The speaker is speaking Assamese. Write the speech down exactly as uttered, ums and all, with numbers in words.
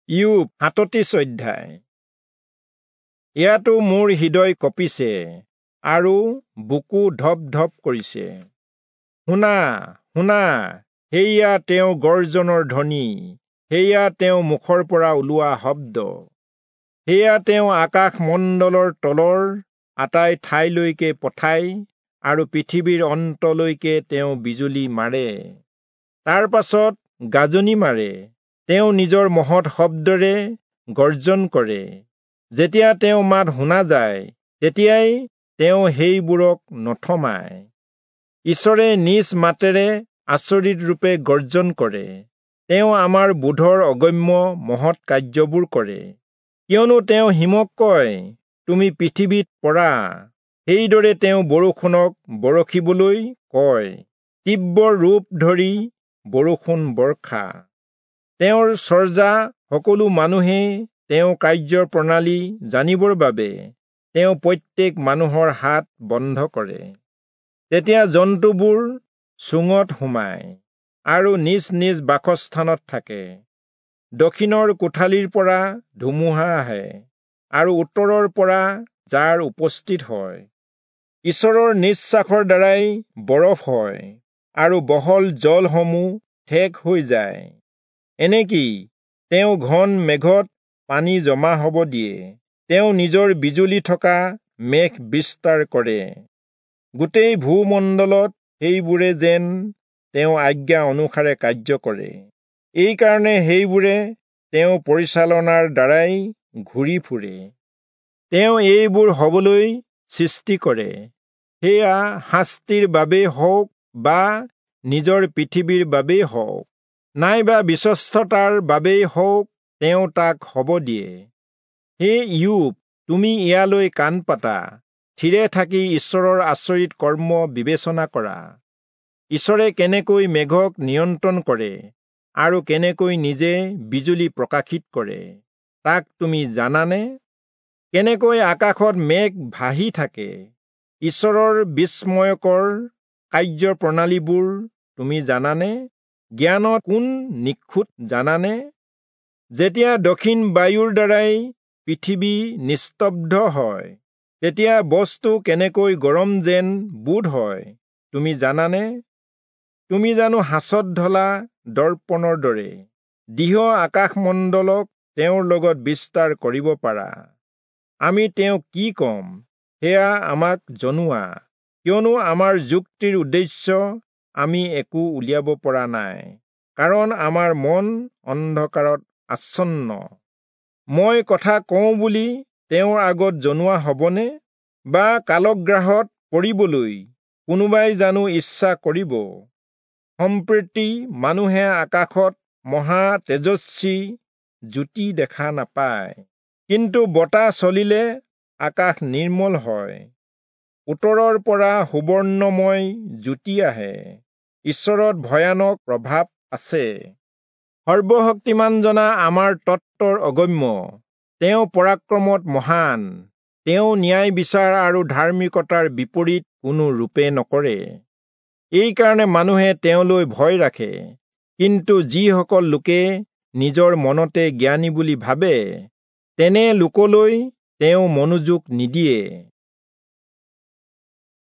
ইয়োব সাতত্ৰিশ অধ্যায়। ইয়াতো মোৰ হৃদয় কঁপিছে আৰু বুকু ধপ ধপ কৰিছে। শুনা, শুনা, সেয়া তেওঁ গৰ্জনৰ ধ্বনি, সেয়া তেওঁ মুখৰ পৰা ওলোৱা শব্দ। সেয়া তেওঁ আকাশমণ্ডলৰ তলৰ আটাই ঠাইলৈকে পঠায় আৰু পৃথিৱীৰ অন্তলৈকে তেওঁ বিজুলী মাৰে। তাৰ পাছত গাজনি মাৰে, তেওঁ নিজৰ মহৎ শব্দৰে গৰ্জন কৰে। যেতিয়া তেওঁ মাত শুনা যায়, তেতিয়াই তেওঁ সেইবোৰক নথমায়। ঈশ্বৰে নিজ মাতেৰে আচৰিত ৰূপে গৰ্জন কৰে। তেওঁ আমাৰ বোধৰ অগম্য মহৎ কাৰ্যবোৰ কৰে। কিয়নো তেওঁ হিমক কয়, তুমি পৃথিৱীত পৰা। সেইদৰে তেওঁ বৰষুণক বৰষিবলৈ কয়, তীব্ৰ ৰূপ ধৰি বৰষুণ বৰ্ষা। তেওঁৰ চৰ্যা সকলো মানুহে তেওঁ কাৰ্য প্ৰণালী জানিবৰ বাবে তেওঁ প্ৰত্যেক মানুহৰ হাত বন্ধ কৰে। তেতিয়া জন্তুবোৰ চুঙত সোমায় আৰু নিজ নিজ বাসস্থানত থাকে। দক্ষিণৰ কোঠালিৰ পৰা ধুমুহা আহে আৰু উত্তৰৰ পৰা জাৰ উপস্থিত হয়। ঈশ্বৰৰ নিশ্বাসৰ দ্বাৰাই বৰফ হয় আৰু বহল জলসমূহ ঠেক হৈ যায়। এনেকি তেওঁ ঘন মেঘত পানী জমা হ'ব দিয়ে। তেওঁ নিজৰ বিজুলী থকা মেঘ বিস্তাৰ কৰে। গোটেই ভূমণ্ডলত সেইবোৰে যেন তেওঁ আজ্ঞা অনুসাৰে কাৰ্য কৰে। এইকাৰণে সেইবোৰে তেওঁ পৰিচালনাৰ দ্বাৰাই ঘূৰি ফুৰে। তেওঁ এইবোৰ হ'বলৈ সৃষ্টি কৰে, সেয়া শাস্তিৰ বাবেই হওক বা নিজৰ পৃথিৱীৰ বাবেই হওক, নাইবা বিশ্বস্ততাৰ বাবেই হওক, তেওঁ তাক হ'ব দিয়ে। হে ইয়োব, তুমি ইয়ালৈ কাণ পাতা, থিৰে থাকি ঈশ্বৰৰ আচৰিত কৰ্ম বিবেচনা কৰা। ঈশ্বৰে কেনেকৈ মেঘক নিয়ন্ত্ৰণ কৰে আৰু কেনেকৈ নিজে বিজুলী প্ৰকাশিত কৰে, তাক তুমি জানানে? কেনেকৈ আকাশত মেঘ ভাহি থাকে, ঈশ্বৰৰ বিস্ময়কৰ কাৰ্য প্ৰণালীবোৰ তুমি জানানে? জ্ঞানত কোন নিখুঁত জানানে? যেতিয়া দক্ষিণ বায়ুৰ দ্বাৰাই পৃথিৱী নিস্তব্ধ হয়, তেতিয়া বস্তু কেনেকৈ গৰম যেন বোধ হয়, তুমি জানানে? তুমি জানো সাঁচত ঢলা দৰ্পণৰ দৰে দৃঢ় আকাশমণ্ডলক তেওঁৰ লগত বিস্তাৰ কৰিব পাৰা? আমি তেওঁক কি ক'ম, সেয়া আমাক জনোৱা, কিয়নো আমাৰ যুক্তিৰ উদ্দেশ্য আমি একো উলিয়াব পৰা নাই, কাৰণ আমাৰ মন অন্ধকাৰত আচ্ছন্ন। মই কথা কওঁ বুলি তেওঁৰ আগত জনোৱা হ'বনে? বা কালগ্ৰাহত পৰিবলৈ কোনোবাই জানো ইচ্ছা কৰিব? সম্প্ৰতি মানুহে আকাশত মহা তেজস্বী জ্যোতি দেখা নাপায়, কিন্তু বতাহ চলিলে আকাশ নিৰ্মল হয়। উত্তৰৰ পৰা সুবৰ্ণময় জ্যোতি আহে। ঈশ্বৰত ভয়ানক প্ৰভাৱ আছে। সৰ্বশক্তিমানজনা আমাৰ তত্ত্বৰ অগম্য। তেওঁ পৰাক্ৰমত মহান। তেওঁ ন্যায় বিচাৰ আৰু ধাৰ্মিকতাৰ বিপৰীত কোনো ৰূপে নকৰে। এইকাৰণে মানুহে তেওঁলৈ ভয় ৰাখে। কিন্তু যিসকল লোকে নিজৰ মনতে জ্ঞানী বুলি ভাবে, তেনে লোকলৈ তেওঁ মনোযোগ নিদিয়ে।